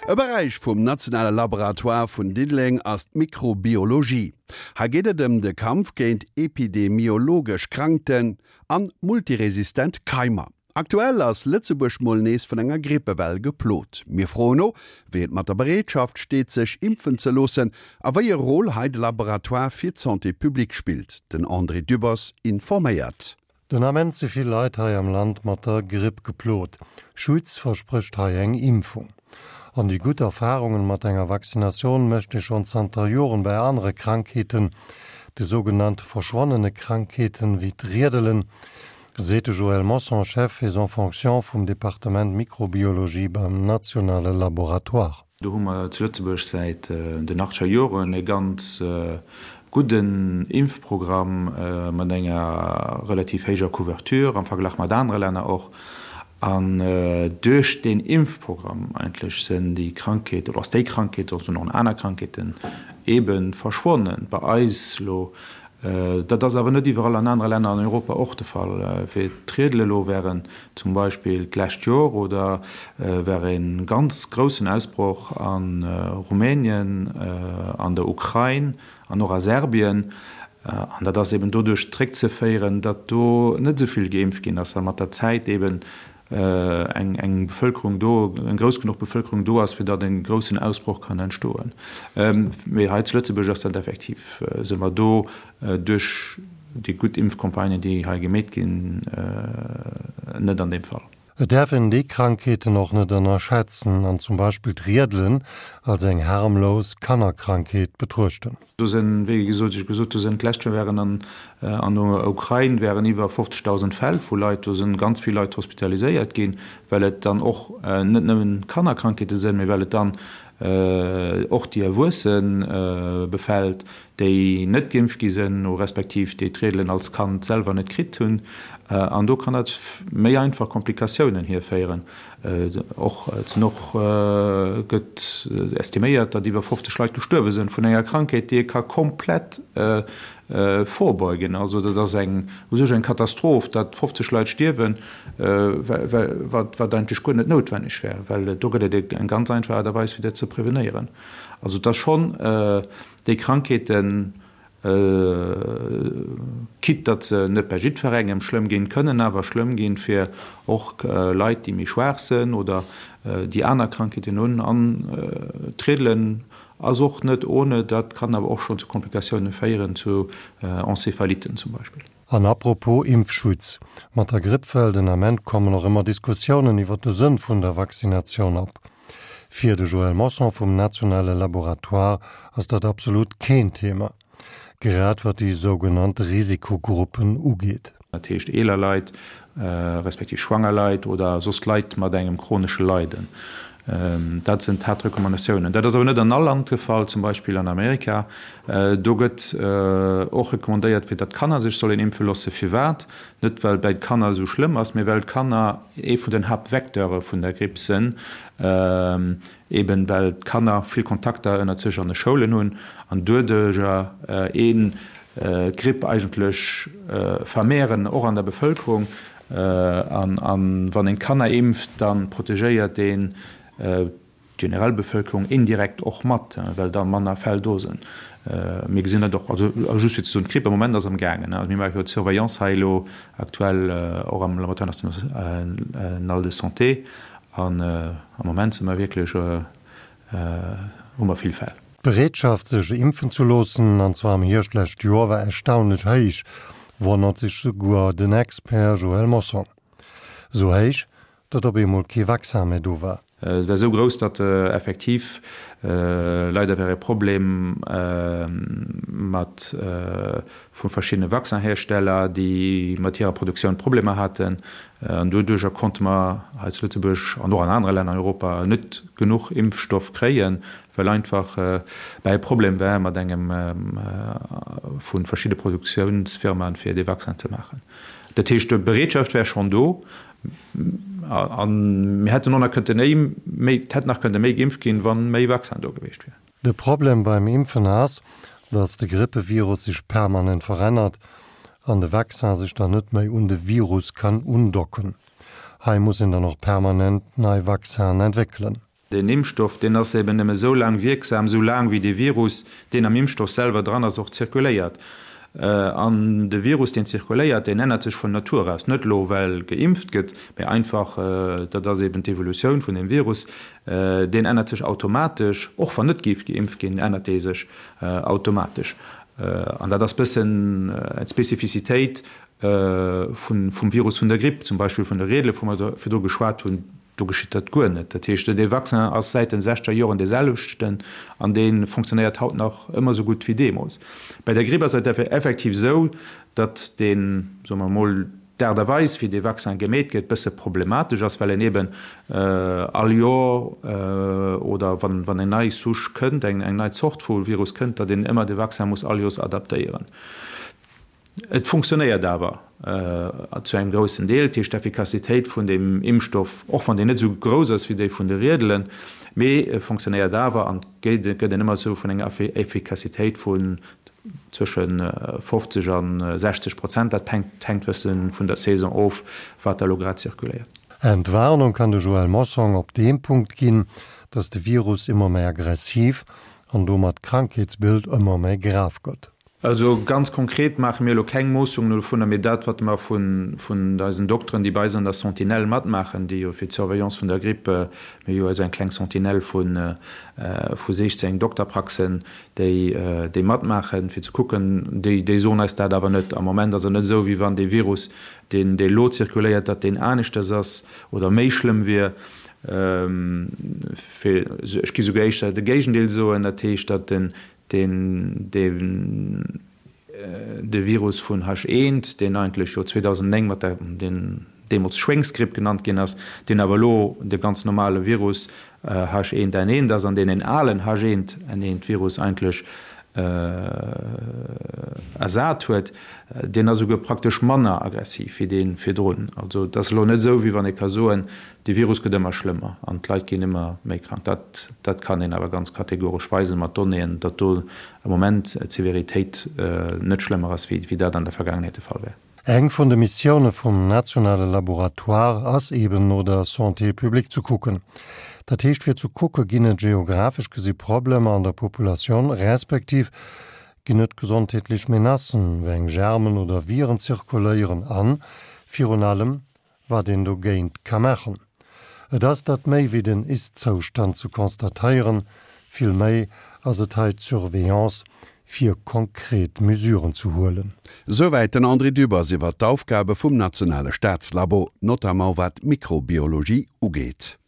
E Beräich vum nationale Laboratoire vun Diddeleng ass d'Mikrobiologie. Hei geet et ëm de Kampf géint epidemiologesch Krankten an multiresistent Keimer. Aktuell ass Lëtzebuerg mol nees vun enger Grippewell geplot. Mir froen no, wéi et mat der Bereetschaft steet sech impfen ze loossen a wéi e Rôle hei de Laboratoire fir d'Santé publique spillt. Den André Dübbers informéiert. Den Ament si vill Leit hei am Land mat der Gripp geplot. Schutz versprécht hei eng Impfung. An déi gutt Erfarungen mat enger Vaccinatioun mécht ee schonn zanter Joren bei anere Krankheeten, de sougenannte verschwonnene Krankheeten, wéi d'Riedelen, Seet de Joël Mossong, Chef et en fonction vum Departement Mikrobiologie beim nationale Laboratoire. Do hu mer zu Lëtzebuerg säit den achtscher Joren e ganz gudden Impfprogramm mat enger relativ héijer Couverture am Verglach mat anere Länner och. An duerch deen Impfprogramm eigentlech sinn déi Krankheet oder ass déi Krankheet, och sinn och aner Krankheeten eebe verschwonnen. Bei eis elo Dat ass awer net iwwerall an anere Länner an Europa och de Fall. Fir d'Riedel elo wären zum Beispill d'lescht Jor oder war e ganz groussen Ausbroch a Rumänien, an der Ukrain an och a Serbien. An dat ass eben doduerch zréckzeféieren, datt do net esou vill geimpft ginn ass a mat der Zäit eben eng Bevëlkerung do, eng grouss genuch Bevëlkerung do ass, fir datt e groussen Ausbroch kann entstoen. Mee hei zu Lëtzebuerg ass dat effektiv, si mer do duerch déi gutt Impfcampagnen, déi hei gemeet ginn, net an deem Fall. Et däerf een déi Krankheeten och net ënnerschätzen an zum Beispill d'Riedelen als eng harmlos Kannerkrankheet betruechten. Do sinn, wéi gesot, ech gesot, do sinn d'lescht Joer wären an an der Ukrain wären iwwer 50.000 Fäll vu Leit, do sinn ganz vill Leit hospitaliséiert ginn, well et dann och net nëmmen Kannerkrankheete sinn, mee well et dann och déi Erwuesse befält, déi net geimpft gi sinn, respektiv déi d'Riedelen als Kand selwer net kritt hunn. An do kann dat méi einfach Komplikatiounen hierféieren. Och et sinn och gëtt estiméiert, datt iwwer 50 Leit gestuerwe sinn vun enger Krankheet, déi ee ka komplett vorbeugen. Also dat ass eng u sech eng Katastroph, datt 50 Leit stierwen, wat wat eigentlech guer net noutwenneg wär, well do gëtt et eng ganz einfach Aart a Weis fir dat ze prevenéieren. Also et ass schonn déi Krankheeten, Quitte datt se net bei jiddwerengem schlëmm ginn, kënnen awer schlëmm ginn fir och Leit, déi méi schwaach sënn oder déi aner Krankheeten hunn. An d'Riedelen ass och net ohne, dat kann awer och schonn zu Komplikatioune féieren, zu Encéphaliten zum Beispill. An apropos Impfschutz, mat der Grippwell den Ament kommen och ëmmer Diskussiounen iwwer de Sënn vun der Vaccinatioun op. Fir de Joël Mossong vum nationale Laboratoire ass dat absolut keen Thema, grad wat déi sougenannt Risikogruppen ugeet. Dat heescht eeler Leit, respektiv schwanger Leit oder soss Leit mat engem chronesche Leiden. Dat sinn d'Haaptrecommandatiounen. Dat ass awer net an all Land de Fall, zum Beispill an Amerika. Do gëtt och recommandéiert, fir datt d'Kanner sech sollen impfe loossen. Firwat? Net well bäi d'Kanner esou schlëmm ass, mee well d'Kanner ee vun den Haaptvecteure vun der Gripp sinn, eben well d'Kanner vill Kontakter ënnert sech an de Schoulen hunn an doduerjer een d'Gripp eigentlech vermehren, och an der Bevëlkerung. An wann een d'Kanner impft, da protegéiert een d'generell Bevëlkerung indirekt och mat, well da manner Fäll do sinn. Mir gesinn dat och, also just fir ze soen, d'Gripp am Moment ass am gaangen. Mir maache jo d'Surveillance hei elo aktuell och am Laboratoire national de santé an am Moment si mer wierklech, hu mer vill Fäll. D'Bereetschaft sech impfen ze loossen, an zwar am Hierscht lescht Joer, war erstaunlech héich, wonnert sech souguer den Expert Joël Mossong. Esou héich, datt op eemol kee Vaccin méi do war. Et war esou grouss, datt effektiv leider war e Problem mat vu verschiddene Vaccin-Hersteller, déi mat hirer Produktioun Problemer haten. An doduerjer konnte mer hei zu Lëtzebuerg an och an anere Länner an Europa net genuch Impfstoff kréien, well einfach bäi e Problem war mat engem vu verschidde Produktiounsfirmaen, fir dee Vaccin ze maachen. Dat heescht, d'Bereetschaft wär schonn do a mir hätten och nach kënnte méi, et hätt nach kënnte méi geimpft ginn, wa méi Vaccin do gewiescht wier. De Problem beim Impfen ass, datt de Grippevirus sech permanent verännert an de Vaccin sech dann net méi un de Virus kann undocken. Hei muss een dann och permanent nei Vaccinen entwéckelen. Deen Impfstoff, deen ass eben nëmme esou laang wierksam, esou laang wéi dee Virus, deen am Impfstoff selwer dran ass, och zirkuléiert. An de Virus, deen zirkuléiert, deen ännert sech vun Natur aus. Net elo well geimpft gëtt, mä einfach, dat ass eben d'Evolutioun vun deem Virus, deen ännert sech automatesch, och wann net géif geimpft ginn, ännert dee sech automatesch. An dat ass bëssen d'Spezifizitéit vum Virus vun der Gripp, zum Beispill vun de Riedele, wou mer virdru geschwat hunn. Do geschitt dat guer net. Dat heescht, dee Vaccin ass säit den sechzeger Joren dee selwechten an dee fonctionnéiert haut nach ëmmer esou gutt wéi deemools. Bei der Gripp ass et effektiv esou, datt deen, soe mer emol, d'Aart a Weis, wéi dee Vaccin gemeet gëtt, bësse problematesch ass, well en eeben all Joer oder wann eng nei Souche kënnt, eng nei Zort vu Virus kënnt, datt een ëmmer de Vaccin muss all Joers adaptéieren. Et funktionéiert awer zu engem groussen Deel, dat heescht d'Effikassitéit vun deem Impfstoff, och wann déi net esou grouss ass wéi déi vun de Riedelen, mee e funktionéiert awer an et gëtt een ëmmer esou vun enger Effikassitéit vun zwësche 50 a 60 Prozent, dat hänkt wësse vun der Saison of, wat da elo grad zirkuléiert. Entwarnung kann de Joël Mossong op deem Punkt ginn, datt de Virus ëmmer méi aggressiv an domat d'Krankheetsbild ëmmer méi grav gëtt. Also ganz konkret maache mir elo keng Moossungen dovunner, mee dat, wat mer vun eisen Dokteren, déi bei eis an der Sentinelle matmaachen, déi jo fir d'Surveillance vun der Gripp, mir hu jo esou eng kleng Sentinelle vu 16 Dokterpraxen, déi déi matmaachen, fir ze kucken, déi déi soen eis dat awer net. Am Moment ass et net esou, wéi wann dee Virus, deen dee elo zirkuléiert, datt deen aneschters ass oder méi schlëmm wier. Ech gi souguer éischter de Géigendeel soen, dat heescht, datt den deen de Virus vun H1, deen eigentlech jo 2009 mat der, deen deemools Schwéngsgripp genannt ginn ass, deen awer elo de ganz normale Virus H1N1 ass an deen en alen H1N1-Virus eigentlech ersat huet, deen ass esouguer praktesch manner aggressiv wéi dee virdrun. Also et ass elo net esou, wéi wann ee ka soen, De Virus gëtt ëmmer schlëmmer an d'Leit ginn ëmmer méi krank. Dat, dat kann een awer ganz kategoresch weisen mat Donnéeën, datt do am Moment d'Severitéit net schlëmmer ass, wéi, wéi dat an der Vergaangenheet de Fall war. Eng vun de Missioune vum nationale Laboratoire ass eben no der Santé publique ze kucken. Dat heescht fir ze kucke ginn et geographesch gesi Problemer an der Populatioun, respektiv ginn et gesondheetlech Menacen, wéi eng Germen oder Viren zirkuléieren an, virun allem, wat een dogéint ka maachen. Et ass dat méi wéi den Ist-Zoustand ze constatéieren, vill méi ass et hei d'Surveillance fir konkret Mesuren ze huelen. Souwäit den André Dübbers iwwer d'Aufgabe vum nationale Staatslabo, notamment wat d'Mikrobiologie ugeet.